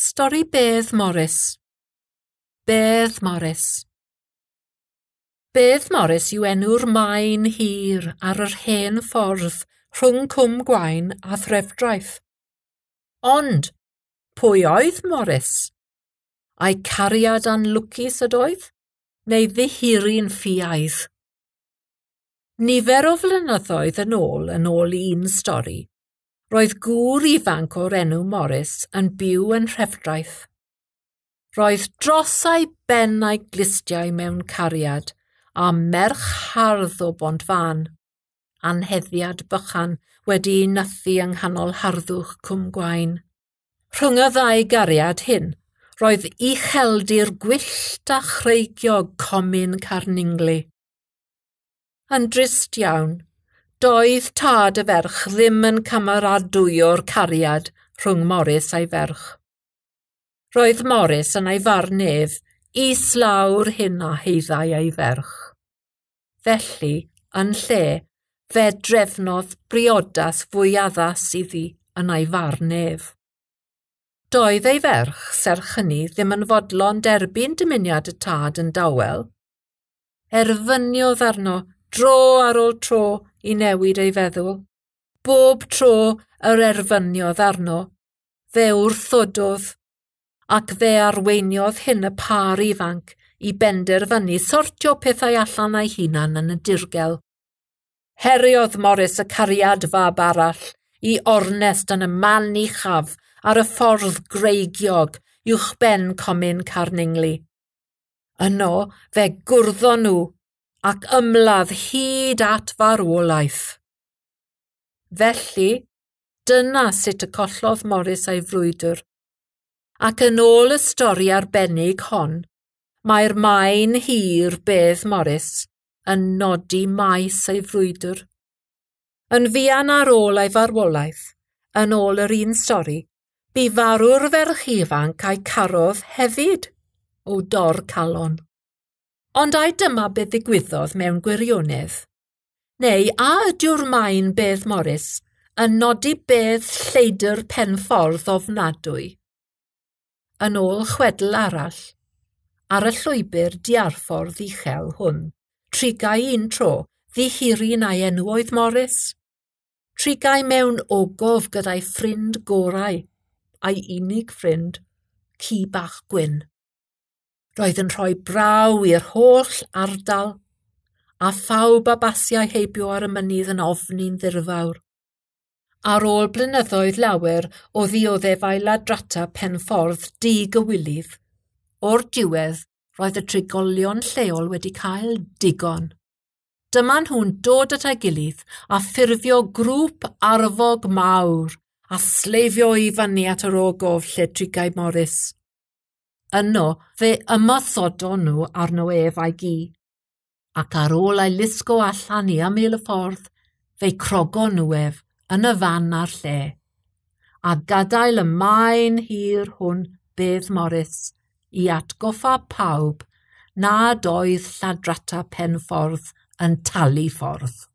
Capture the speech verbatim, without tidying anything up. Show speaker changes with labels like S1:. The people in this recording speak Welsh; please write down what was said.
S1: Stori Bedd Morris. Bedd Morris. Bedd Morris yw enw'r maen hir ar yr hen ffordd rhwng Cwm Gwaun a Threfdraeth. Ond, pwy oedd Morris? Ai cariad anlwcus ydoedd? Neu ddihiryn ffiaidd? Nifer o flynyddoedd yn ôl, yn ôl un stori, roedd gŵr ifanc o'r enw Morris yn byw yn Nhrefdraeth. Roedd dros ei ben a'i glustiau mewn cariad a merch hardd o Bontfaen, anheddiad bychan wedi'i nythu yng nghanol harddwch Cwm Gwaun. Rhwng y ddau gariad hyn, roedd ucheldir gwyllt a chreigiog comin Carningli. Yn drist iawn, doedd tad y ferch ddim yn cymeradwyo'r cariad rhwng Morris a'i ferch. Roedd Morris yn ei farn ef islaw'r hyn a haeddai ei ferch. Felly, yn lle, fe drefnodd briodas fwy addas iddi yn ei farn ef. Doedd ei ferch, serch hynny, ddim yn fodlon derbyn dymuniad y tad yn dawel. Erfyniodd arno dro ar ôl tro i newid ei feddwl. Bob tro yr erfyniodd arno, fe wrthododd, ac fe arweiniodd hyn y pâr ifanc i benderfynu sortio pethau allan ei hunan yn y dirgel. Heriodd Morris y cariad fab arall i ornest yn y man uchaf ar y ffordd greigiog uwchben comin Carningli. Yno fe gwrddon nhw ac ymladd hyd at farwolaeth. Felly, dyna sut y collodd Morris ei frwydr. Ac yn ôl y stori arbennig hon, mae'r maen hir Bedd Morris yn nodi maes ei frwydr. Yn fuan ar ôl ei farwolaeth, yn ôl yr un stori, bu farw'r ferch ifanc a'i carodd hefyd o dor calon. Ond ai dyma beth ddigwyddodd mewn gwirionedd? Neu a ydyw'r maen Bedd Morris yn nodi bedd lleidr penffordd ofnadwy? Yn ôl chwedl arall, ar y llwybr diarffordd uchel hwn, trigai un tro ddihiryn a'i enw oedd Morris. Trigai mewn ogof gyda'i ffrind gorau, a'i unig ffrind, ci bach gwyn. Roedd yn rhoi braw i'r holl ardal, a phawb a basiai heibio ar y mynydd yn ofni'n ddirfawr. Ar ôl blynyddoedd lawer o ddioddefau ladrata penffordd digywilydd, o'r diwedd roedd y trigolion lleol wedi cael digon. Dyma nhw'n dod at ei gilydd a ffurfio grŵp arfog mawr a sleifio i fyny at yr ogof lle trigai Morris. Yno fe ymosodon nhw arno ef a'i gi, ac ar ôl ei lusgo allan i ymyl y ffordd, fe'i crogon nhw ef yn y fan a'r lle, a gadael y maen hir hwn Bedd Morris i atgoffa pawb nad oedd lladrata penffordd yn talu ffordd.